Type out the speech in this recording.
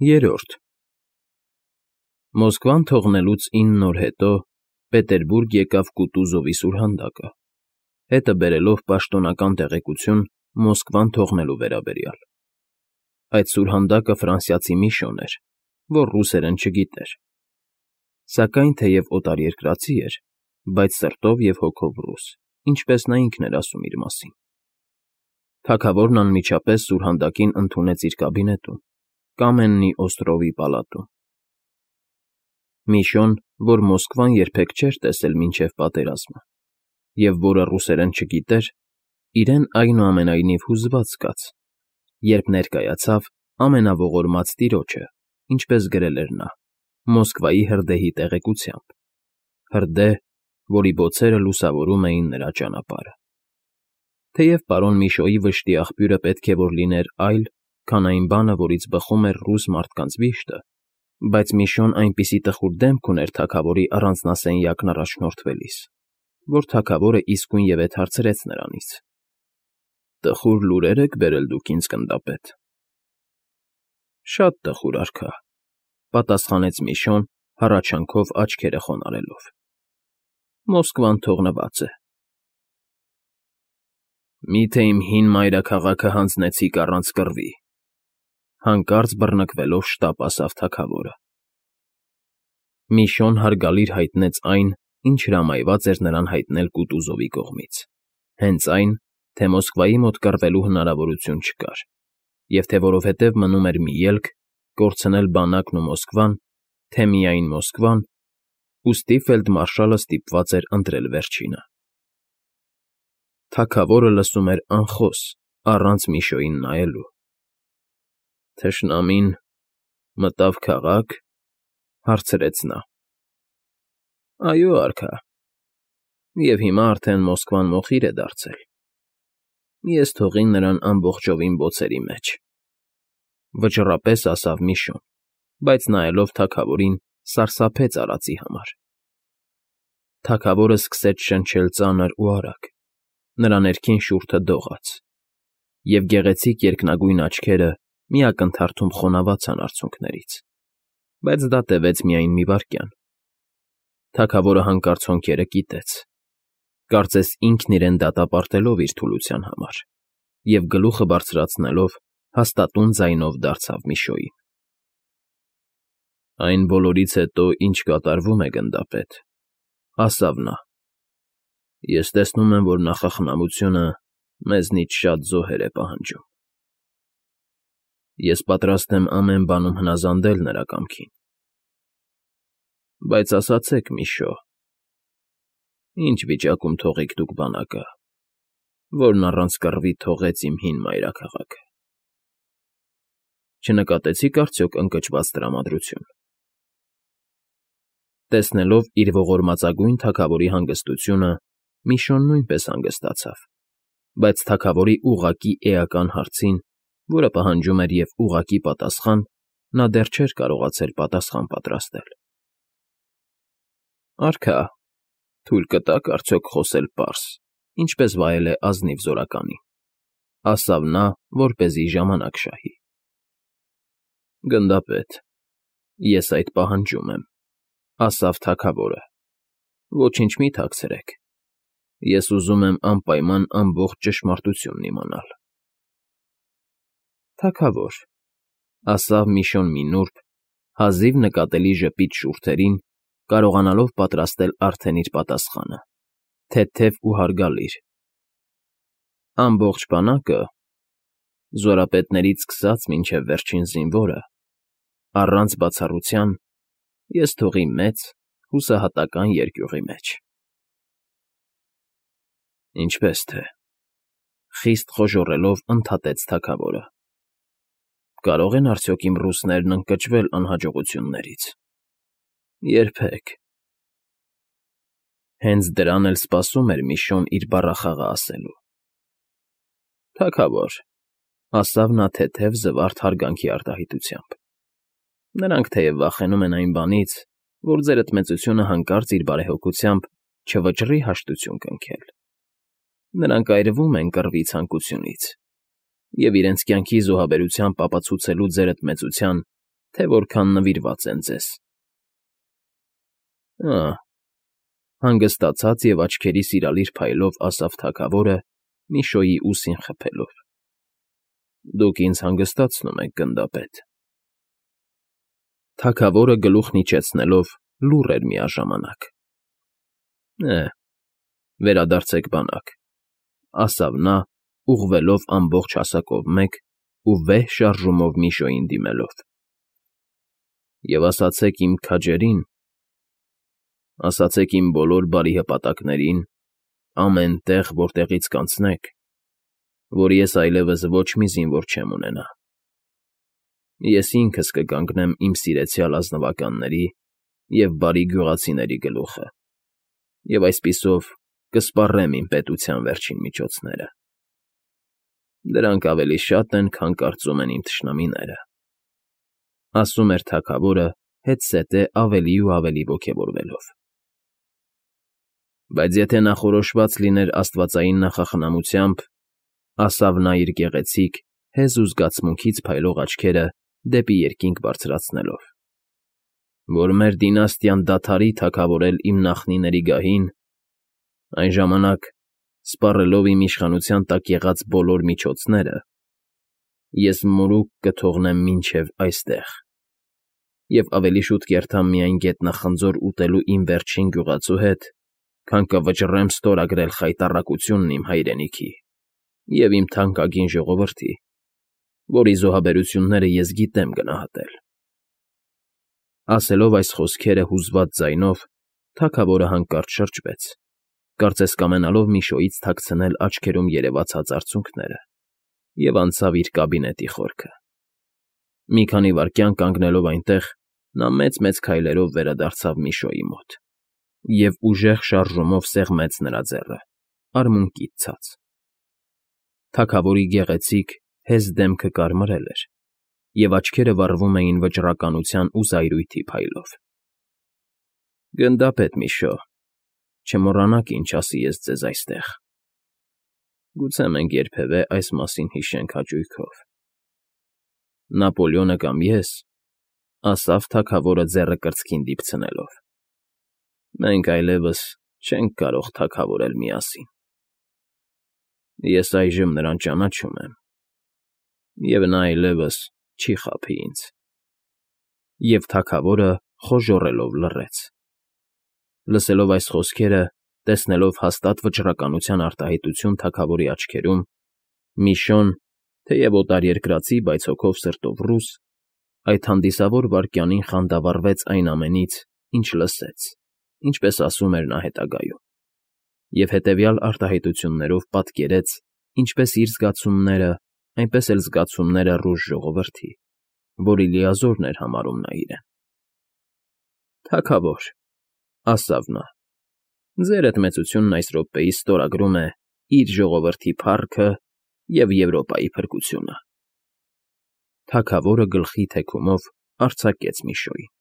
Երրորդ Մոսկվան թողնելուց 9 օր հետո Պետերբուրգ եկավ Կուտուզովի սուրհանդակը, հետը բերելով պաշտոնական տեղեկություն Մոսկվան թողնելու վերաբերյալ։ Այդ սուրհանդակը ֆրանսիացի մի շոն էր, որ ռուսերեն չգիտեր, սակայն թեև օտարերկրացի էր, բայց սրտով և հոգով ռուս, ինչպես նա ինքն էր ասում իր մասին։ Թագավորն անմիջապես սուրհանդակին ընդունեց իր կաբինետում, Կամեննի Օստրովի պալատում։ Միշոն, որ Մոսկվան երբեք չէր տեսել մինչև պատերազմը, և որը ռուսերեն չգիտեր, իրեն այնուամենայնիվ հուզված զգաց, երբ ներկայացավ ամենաողորմած տիրոջը, ինչպես գրել էր նա, Մոսկվայի հրդեհի տեղեկությամբ, հրդեհ, որի բոցերը լուսավորում էին նրա ճանապարհը։ Թեև պարոն Միշոյի վշտի աղբյուրը պետք է որ լիներ այլ, քան այն բանը, որից բխում էր ռուս մարդկանց վիշտը, բայց Միշոն այնպիսի տխուր դեմք ուներ թագավորի առանձնասենյակն առաջնորդվելիս, որ թագավորը իսկույն ևեթ հարցրեց նրանից. «Տխուր լուրեր եք բերել դուք ինձ, գնդապետ»։ «Շատ տխուր, արքա», պատասխանեց Միշոն, հառաչանքով աչքերը խոնարհելով։ «Մոսկվան թողնված է»։ «Մի՞թե իմ հին մայրաքաղաքը հանձնեցիք առանց կռվի», հանկարծ բռնկվելով շտապ ասավ թագավորը։ Միշոն հարգալիր հայտնեց այն, ինչ հրամայված էր նրան հայտնել Կուտուզովի կողմից, հենց այն, թե Մոսկվայի մոտ կռվելու հնարավորություն չկար, և թե որովհետև մնում էր մի ելք կորցնել բանակն ու Մոսկվան, թե միայն Մոսկվան, ուստի ֆելդմարշալը ստիպված էր ընտրել վերջինը։ Թագավորը լսում էր անխոս, առանց Միշոյին նայելու։ «Թշնամին մտավ քաղաք», հարցրեց նա։ «Այո, արքա, և հիմա արդեն Մոսկվան մոխիր է դարձել։ Ես թողի նրան ամբողջովին բոցերի մեջ», վճռապես ասավ Միշոն, բայց նայելով թագավորին, սարսափեց արածի համար։ Թագավորը սկսեց շնչել ծանր ու արագ, նրա ներքին շուրթը դողաց, և գեղեցիկ երկնագույն աչքերը մի ակնթարթում խոնավացան արցունքներից, բայց դա տևեց միայն մի վայրկյան։ Թագավորը հանկարծ հոնքերը կիտեց, կարծես ինքն իրեն դատապարտելով իր թուլության համար, և գլուխը բարձրացնելով հաստատուն ձայնով դարձավ Միշոյին. «Այն բոլորից հետո, ինչ կատարվում է, գնդապետ», ասավ նա, «ես տեսնում եմ, որ նախախնամությունը մեզնից շատ զոհեր է պահանջում։ Ես պատրաստ եմ ամեն բանում հնազանդել նրա կամքին։ Բայց ասացեք, Միշո, ի՞նչ վիճակում թողիք դուք բանակը, որն առանց կռվի թողեց իմ հին մայրաքաղաքը։ Չնկատեցի՞ք արդյոք ընկճված տրամադրություն»։ Տեսնելով իր ողորմածագույն թագավորի հանգստությունը, Միշոն նույնպես հանգստացավ, բայց թագավորի ուղղակի էական հարցին, որը պահանջում էր և ուղղակի պատասխան, նա դեռ չէր կարողացել պատասխան պատրաստել։ «Արքա, թույլ կտա՞ք արդյոք խոսել պարզ, ինչպես վայել է ազնիվ զորականին», ասավ նա, որպեսզի ժամանակ շահի։ «Գնդապետ, ես այդ պահանջում եմ», ասավ թագավորը։ «Ոչինչ մի թաքցրեք, ես ուզում եմ անպայման ամբողջ ճշմարտությունն իմանալ»։ «Թագավոր», ասավ Միշոն մի նուրբ, հազիվ նկատելի ժպիտ շուրթերին, կարողանալով պատրաստել արդեն իր պատասխանը, թեթև ու հարգալիր, «ամբողջ բանակը, զորապետներից սկսած մինչև վերջին զինվորը, առանց բացառության, ես թողի մեծ, հուսահատական երկյուղի մեջ»։ «Ինչպես թե», խիստ խոժոռելով ընդհատեց թագավորը։ «Կարո՞ղ են արդյոք իմ ռուսներն ընկճվել անհաջողություններից։ Երբեք»։ Հենց դրան էլ սպասում էր Միշոն իր բառախաղը ասելու։ «Թագավոր», ասավ նա թեթև զվարթ հարգանքի արտահայտությամբ, «նրանք թեև վախենում են այն բանից, որ ձեր ընդմեծությունը հանկարծ իր բարեհոգությամբ չվճռի հաշտություն կնքել, նրանք այրվում են կռվի ցանկությունից և իրենց կյանքի զոհաբերությամբ ապացուցելու ձեր ընդմեծության, թե որքան նվիրված են ձեզ։ Հանգստացած և աչքերի սիրալիր փայլով ասավ թագավորը Միշոյի ուսին խփելով։ Դուք ինձ հանգստացնում եք, գնդապետ։ Թագավորը գլուխն իջեցնելով լուռ էր միաժամանակ։ Վերադարձեք բանակ, ասավ նա, ուղղվելով ամբողջ հասակով մեկ ու վեհ շարժումով Միշոյին դիմելով։ Եվ ասացեք իմ քաջերին, ասացեք իմ բոլոր բարի հպատակներին, ամեն տեղ, որտեղից կանցնեք, որ ես այլևս ոչ մի զինվոր չեմ ունենա։ Ես ինքս կկանգնեմ իմ սիրեցյալ ազնվականների և բարի գյուղացիների գլուխը, և այսպիսով կսպառեմ իմ պետության վերջին միջոցները։ Դրանք ավելի շատ են, քան կարծում են իմ թշնամիները, ասում էր թագավորը հետզհետե ավելի ու ավելի ոգևորվելով։ Բայց եթե նախորոշված լիներ աստվածային նախախնամությամբ, ասավ նա իր գեղեցիկ, հեզ ու զգացմունքից փայլող աչքերը դեպի երկինք բարձրացնելով, որ մեր դինաստիան դադարի թագավորել իմ նախնիների գահին, այն ժամանակ, սպառելով իմ իշխանության տակ եղած բոլոր միջոցները, ես մորուք կթողնեմ մինչև այստեղ և ավելի շուտ կերթամ միայն գետնախնձոր ուտելու իմ վերջին գյուղացու հետ, քան կվճռեմ ստորագրել խայտառակությունն իմ հայրենիքի և իմ թանկագին ժողովրդի, որի զոհաբերությունները ես գիտեմ գնահատել։ Ասելով այս խոսքերը հուզված ձայնով, թագավորը հանկարծ շրջվեց, կարծես կամենալով Միշոյից թաքցնել աչքերում երևացած արցունքները, և անցավ իր կաբինետի խորքը։ Մի քանի վայրկյան կանգնելով այնտեղ, նա մեծ-մեծ քայլերով վերադարձավ Միշոյի մոտ և ուժեղ շարժումով սեղմեց նրա ձեռը, արմունկից ցած։ Թագավորի գեղեցիկ, հեզ դեմքը կարմրել էր, և աչքերը վառվում էին վճռականության ու զայրույթի փայլով։ Գնդապետ Միշո, չմոռանաք ինչ ասի ես ձեզ այստեղ։ Գուցե մենք երբևէ այս մասին հիշենք հաճույքով։ Նապոլեոնը կամ ես, ասավ թագավորը ձեռը կրծքին դիպցնելով, մենք այլևս չենք կարող թագավորել միասին։ Ես այժմ նրան ճանաչում եմ, և նա այլևս չի խաբի ինձ։ Եվ թագավորը խոժոռելով լռեց։ Լսելով այս խոսքերը, տեսնելով հաստատ վճռականության արտահայտություն թագավորի աչքերում, Միշոն, թեև օտարերկրացի, բայց հոգով սրտով ռուս, այդ հանդիսավոր վայրկյանին խանդավառվեց այն ամենից, ինչ լսեց, ինչպես ասում էր նա հետագայում, և հետևյալ արտահայտություններով պատկերեց ինչպես իր զգացումները, այնպես էլ զգացումները ռուս ժողովրդի, որի լիազորն էր համարում նա իրեն։ Թագավոր, ասավ նա, ձերդ մեծությունն այս րոպեիս ստորագրում է իր ժողովրդի փառքը և Եվրոպայի փրկությունը։ Թագավորը գլխի թեքումով արձակեց Միշոյին։